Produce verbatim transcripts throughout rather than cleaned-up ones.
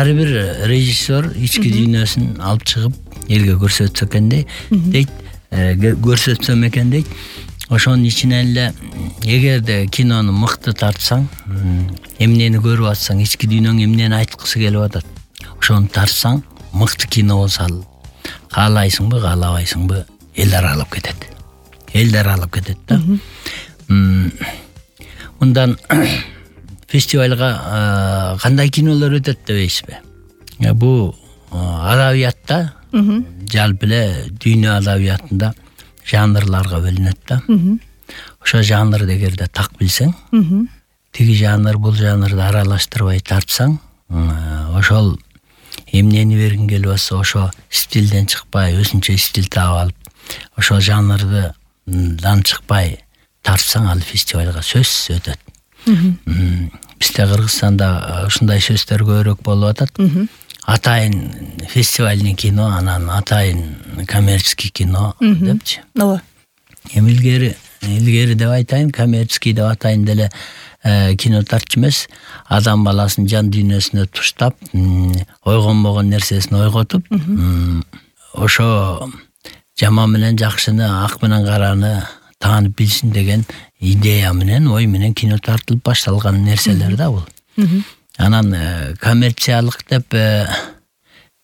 ар бир режиссер ички дүйнөсүн алып чыгып элге көрсөтсө экен дейт, көрсөтсөм экен дейт. Ошонун ичинен эле эгерде кинону мыкты тартсаң, эмнени көрүп атсаң, ички дүйнөң эмнени айткысы келип атат, ошону тартсаң, мыкты кино болсо ал каалайсыңбы, каалабайсыңбы, эл аралап кетет. Эл аралап кетет да. Мындан фестивалга кандай кинолор өтөт дебейсизби? Бул адабиятта, жалпы эле дүйнө адабиятында жанрларга бөлүнөт да. Ошо жанрды эгерде так билсең, тиги жанр бул жанрды аралаштырбай тартсаң, ошол эмнени бергиң келип атса, ошо стилден чыкпай, өзүнчө стиль таап алып, ошол жанрдан чыкпай тартсаң, ал фестивалга сөзсүз өтөт. Бизде Кыргызстанда ушундай сөздөр көбүрөөк болуп атат. Атайын фестивальный кино, анан атайын коммерческий кино депчи. Ооба. Эми илгери, илгери деп айтайын, коммерческий деп атайын деле кино тартчу эмес, адам баласынын жан дүйнөсүнө туштап, ойгонбогон нерсесин ойготуп, ошо жаман менен жакшыны, ак менен караны таанып билсин деген идея менен, ой менен кино тартылып башталган нерселер да бул. Анан коммерциялык деп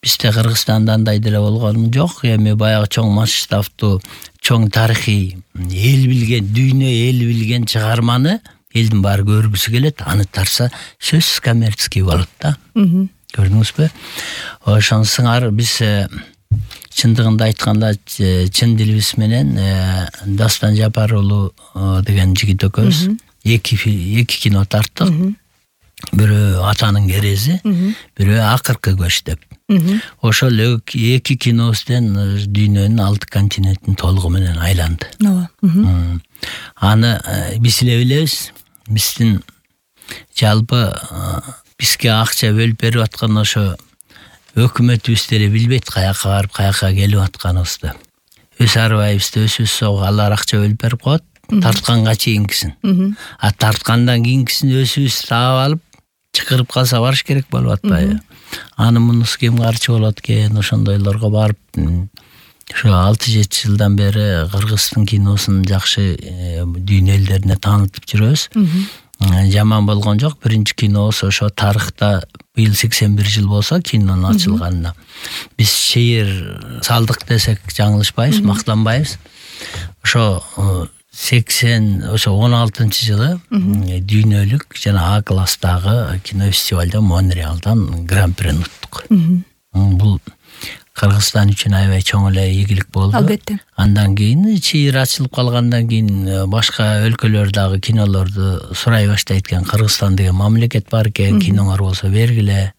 бизде Кыргызстанда андай деле болгон жок. Эми баягы чоң масштабтуу, чоң тарыхый, эл билген, дүйнө эл билген чыгарманы элдин баары көргүсү келет, аны тарса сөзсүз коммерческий болот да. Көрдүңүзбү? Ошонусуңар биз чындыгында айтканда чын дилибиз менен Дастан Жапар уулу деген жигит экөөбүз эки эки кино тарттык. Бирөө Атанын керези, бирөө Акыркы көч деп. Ошол эки кинобузден дүйнөнүн алты континентин толугу менен айланды. Ооба. Аны биз эле билебиз. Биздин жалпы бизге акча бөлүп берип аткан ошо өкмөтүбүз деле билбейт каяка барып, каяка келип атканыбызды. Өз арбайыбызды өзүбүз согуп, алар акча бөлүп берип коет, тартканга чейинкисин. А тарткандан кийинкисин өзүбүз таап алып, чакырып калса барыш керек болуп атпайбы? Аны мунусу кем карчы болот экен, ошондойлорго барып, ошо алты жети жылдан бери Кыргыздын киносун жакшы дүйнө элдерине таанытып жүрөбүз. Жаман болгон жок. Биринчи кинобуз ошо тарыхта быйыл сексен бир жыл болсо кинонун ачылганына. Биз шеир салдык десек жаңылышпайбыз, мактанбайбыз. Ошо сексен ошо он алтынчы жылы дүйнөлүк жана А класстагы кино фестивалда Монреалдан гран-прини уттук. Бул Кыргызстан үчүн аябай чоң эле ийгилик болду. Албетте. Андан кийин чыйыр ачылып калгандан кийин башка өлкөлөрдөгү кинолорду сурай баштайт экен. Кыргызстан деген мамлекет бар экен, киноңор болсо бергиле.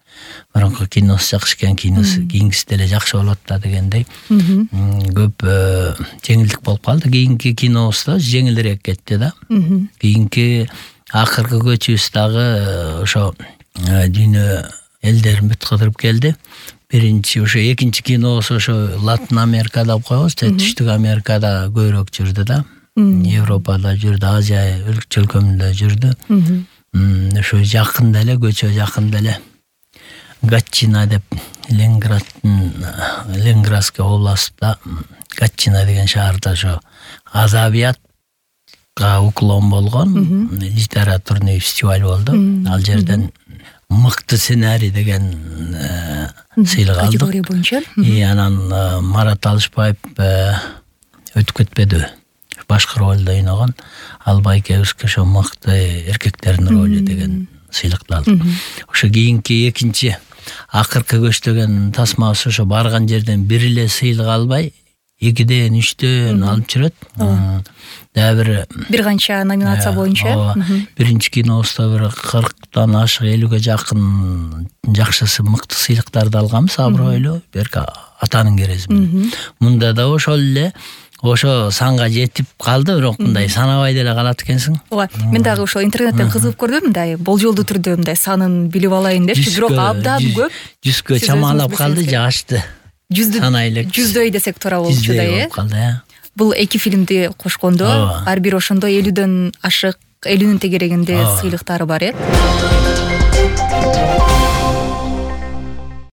Мурунку киносу жакшы экен, киносу кийинкиси деле жакшы болот да дегендей. Көп жеңилдик болуп калды. Кийинки кинобуз да жеңилирээк кетти да. Кийинки Акыркы көчүбүз дагы ошо дүйнө элдерин бүт кыдырып келди. Биринчи ошо экинчи кинобуз ошо Латын Америкада коебуз, Түштүк Америкада көбүрөөк жүрдү да. Европада жүрдү, Азия өлкөлөрүндө жүрдү. Ошо жакында эле, көчө жакында эле Гатчина деп Ленинграддын Ленинградский областта Гатчина деген шаарда ошо адабиятка уклон болгон литературный фестиваль болду. Ал жерден мыкты сценарий деген сыйлык алдык. Категория боюнча. И анан Марат Алышбаев өтүп кетпеди. Башкы ролдо ойногон Албай экөөбүзгө ошо мыкты эркектердин ролу деген сыйлыкты алдык. Ошо кийинки экинчи Акыркы көч деген тасмабыз ошо барган жерден бир эле сыйлык албай, экиден, үчтөн алып жүрөт. Дагы бир бир канча номинация боюнча. Биринчи кинобузда бир кырктан ашык, элүүгө жакын жакшысы мыкты сыйлыктарды алганбыз, абройлуу. Берки Атанын керези менен. Мында да ошол эле ошо санга жетип калды, бирок мындай санабай деле калат экенсиң. Ооба, мен дагы ошо интернеттен кызыгып көрдүм, мындай болжолдуу түрдө мындай санын билип алайын депчи, бирок абдан көп. Жүзгө чамалап калды, жашты. Жүздөй, жүздөй десек туура болчу да, э? Бул эки фильмди кошкондо ар бир ошондой элүүдөн ашык, элүүнүн тегерегинде сыйлыктары бар, э?